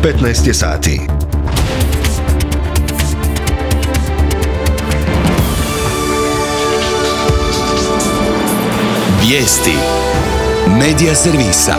15 je sati. Vijesti Medija servisa.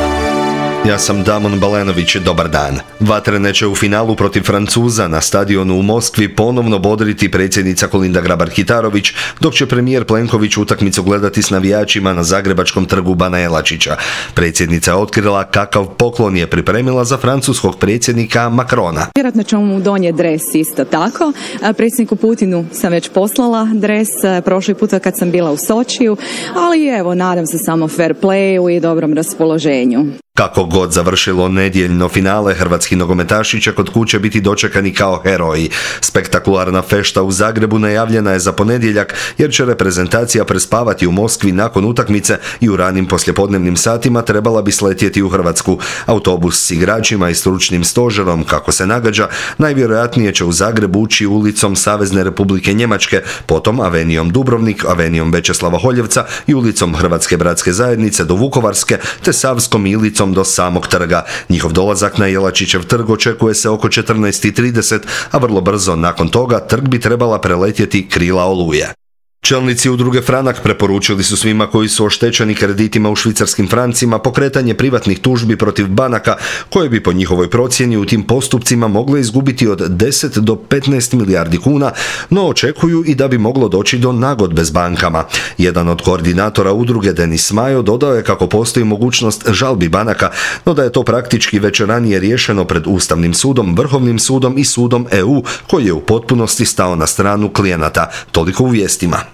Ja sam Damon Balenović, dobar dan. Vatrene će u finalu protiv Francuza na stadionu u Moskvi ponovno bodriti predsjednica Kolinda Grabar-Kitarović, dok će premijer Plenković utakmicu gledati s navijačima na zagrebačkom trgu Bana Jelačića. Predsjednica je otkrila kakav poklon je pripremila za francuskog predsjednika Macrona. Vjerojatno ćemo mu donijeti dres isto tako. Predsjedniku Putinu sam već poslala dres prošli puta kad sam bila u Sočiju, ali evo, nadam se samo fair playu i dobrom raspoloženju. Kako god završilo nedjeljno finale, hrvatski nogometaši će kod kuće biti dočekani kao heroji. Spektakularna fešta u Zagrebu najavljena je za ponedjeljak, jer će reprezentacija prespavati u Moskvi nakon utakmice i u ranim poslijepodnevnim satima trebala bi sletjeti u Hrvatsku. Autobus s igračima i stručnim stožerom, kako se nagađa, najvjerojatnije će u Zagrebu ući ulicom Savezne Republike Njemačke, potom avenijom Dubrovnik, avenijom Večeslava Holjevca i ulicom Hrvatske bratske zajednice do Vukovarske, te Savskom ilicom do samog trga. Njihov dolazak na Jelačićev trg očekuje se oko 14:30, a vrlo brzo nakon toga trg bi trebala preletjeti krila Oluje. Čelnici udruge Franak preporučili su svima koji su oštećeni kreditima u švicarskim francima pokretanje privatnih tužbi protiv banaka, koje bi po njihovoj procjeni u tim postupcima mogle izgubiti od 10 do 15 milijardi kuna, no očekuju i da bi moglo doći do nagodbe s bankama. Jedan od koordinatora udruge, Denis Majo, dodao je kako postoji mogućnost žalbi banaka, no da je to praktički već ranije riješeno pred Ustavnim sudom, Vrhovnim sudom i sudom EU, koji je u potpunosti stao na stranu klijenata. Toliko u vijestima.